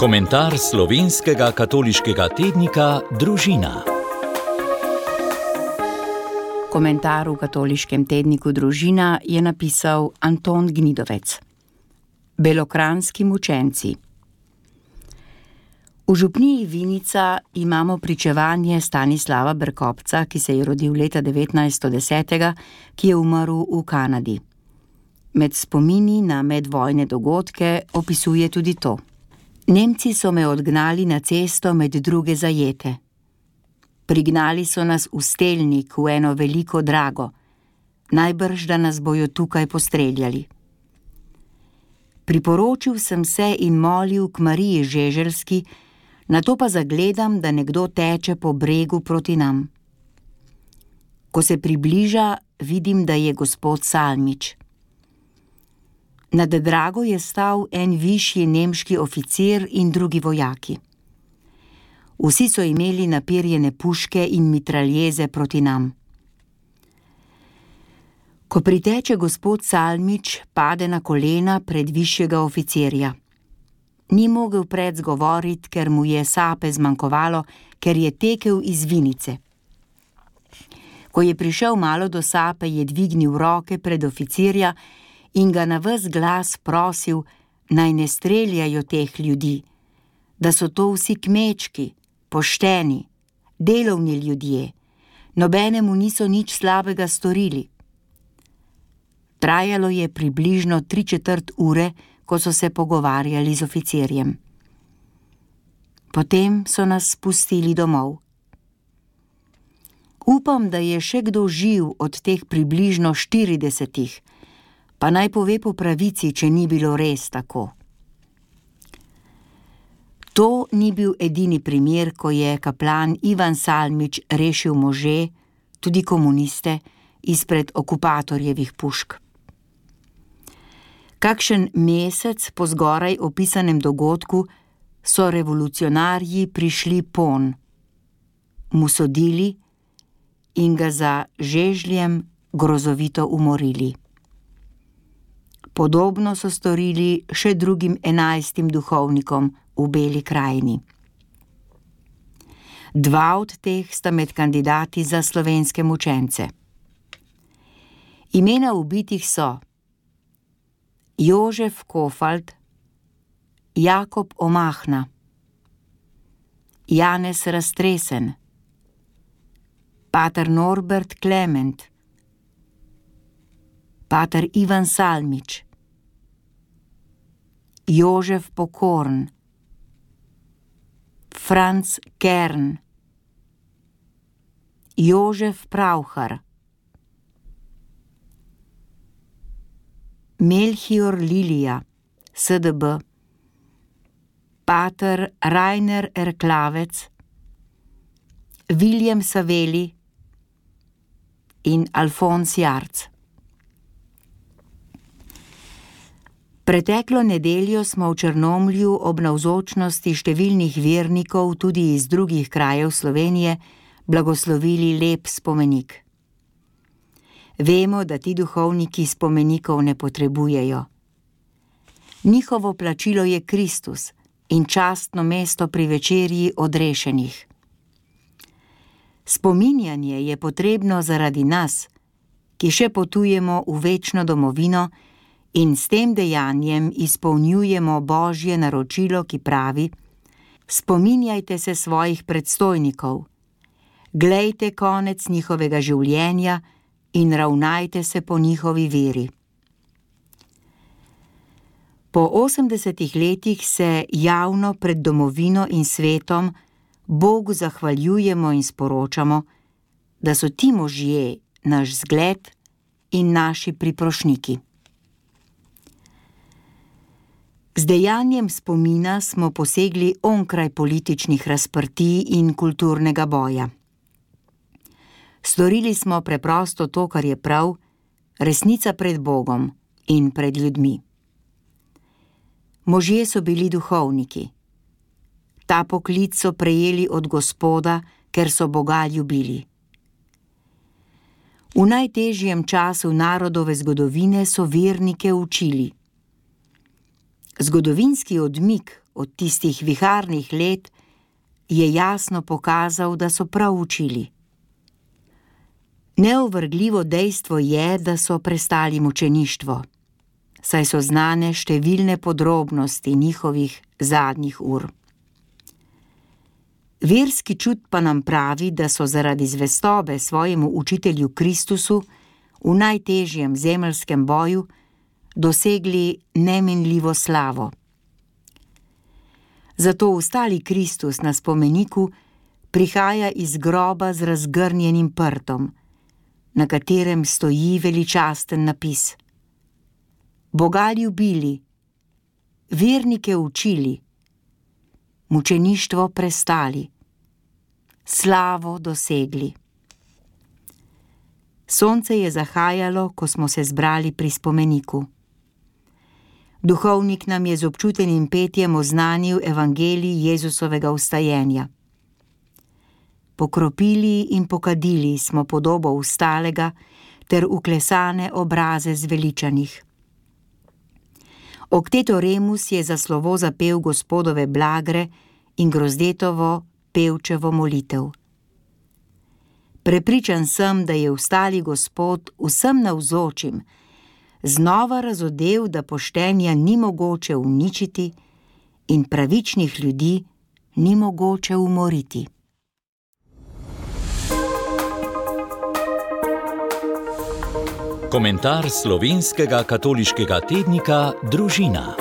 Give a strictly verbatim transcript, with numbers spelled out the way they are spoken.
Komentar slovenskega katoliškega tednika Družina. Komentar v katoliškem tedniku Družina je napisal Anton Gnidovec. Belokranjski mučenci. V župniji Vinica imamo pričevanje Stanislava Berkopca, ki se je rodil leta devetnajststo deset, ki je umrl v Kanadi. Med spomini na medvojne dogodke opisuje tudi to. Nemci so me odgnali na cesto med druge zajete. Prignali so nas v stelnik, v eno veliko drago. Najbrž, da nas bojo tukaj postreljali. Priporočil sem se in molil k Mariji Žeželski, nato pa zagledam, da nekdo teče po bregu proti nam. Ko se približa, vidim, da je gospod Salmič. Nad drago je stal en višji nemški oficir in drugi vojaki. Vsi so imeli napirjene puške in mitraljeze proti nam. Ko priteče gospod Salmič, pade na kolena pred višjega oficirja. Ni mogel pred zgovoriti, ker mu je sape zmanjkovalo, ker je tekel iz Vinice. Ko je prišel malo do sape, je dvignil roke pred oficirja in ga na ves glas prosil, naj ne streljajo teh ljudi, da so to vsi kmečki, pošteni, delovni ljudje, nobenemu niso nič slabega storili. Trajalo je približno tri četrt ure, ko so se pogovarjali z oficirjem. Potem so nas spustili domov. Upam, da je še kdo živ od teh približno štiridesetih, pa naj pove po pravici, če ni bilo res tako. To ni bil edini primer, ko je kaplan Ivan Salmič rešil može, tudi komuniste, izpred okupatorjevih pušk. Kakšen mesec po zgoraj opisanem dogodku so revolucionarji prišli pon, mu sodili in ga za žežljem grozovito umorili. Podobno so storili še drugim enajstim duhovnikom v Beli krajini. Dva od teh sta med kandidati za slovenske mučence. Imena ubitih so Jožef Kofalt, Jakob Omahna, Janez Raztresen, pater Norbert Klement, pater Ivan Salmič, Jožef Pokorn, Franc Kern, Jožef Pravhar, Melchior Lilija, S D B, pater Rainer Erklavec, Viljem Saveli in Alfons Jarc. Preteklo nedeljo smo v Črnomlju ob navzočnosti številnih vernikov tudi iz drugih krajev Slovenije blagoslovili lep spomenik. Vemo, da ti duhovniki spomenikov ne potrebujejo. Njihovo plačilo je Kristus in častno mesto pri večerji odrešenih. Spominjanje je potrebno zaradi nas, ki še potujemo v večno domovino in s tem dejanjem izpolnjujemo Božje naročilo, ki pravi: spominjajte se svojih predstojnikov, glejte konec njihovega življenja in ravnajte se po njihovi veri. Po osemdesetih letih se javno pred domovino in svetom Bogu zahvaljujemo in sporočamo, da so ti možje naš zgled in naši priprošniki. Z dejanjem spomina smo posegli onkraj političnih razprtij in kulturnega boja. Storili smo preprosto to, kar je prav, resnica pred Bogom in pred ljudmi. Možje so bili duhovniki. Ta poklic so prejeli od Gospoda, ker so Boga ljubili. V najtežjem času narodove zgodovine so vernike učili. Zgodovinski odmik od tistih viharnih let, je jasno pokazal, da so prav učili. Neovrgljivo dejstvo je, da so prestali mučeništvo, saj so znane številne podrobnosti njihovih zadnjih ur. Verski čut pa nam pravi, da so zaradi zvestobe svojemu učitelju Kristusu v najtežjem zemeljskem boju dosegli neminljivo slavo. Zato vstali Kristus na spomeniku prihaja iz groba z razgrnjenim prtom, na katerem stoji veličasten napis: Boga ljubili, vernike učili, mučeništvo prestali, slavo dosegli. Sonce je zahajalo, ko smo se zbrali pri spomeniku. Duhovnik nam je z občutenim petjem oznanil evangelij Jezusovega vstajenja. Pokropili in pokadili smo podobo vstalega ter uklesane obraze zveličanih. Okteto Remus je za slovo zapel Gospodove blagre in Grozdetovo pevčevo molitev. Prepričan sem, da je vstali Gospod vsem navzočim znova razodel, da poštenja ni mogoče uničiti in pravičnih ljudi ni mogoče umoriti. Komentar slovenskega katoliškega tednika Družina.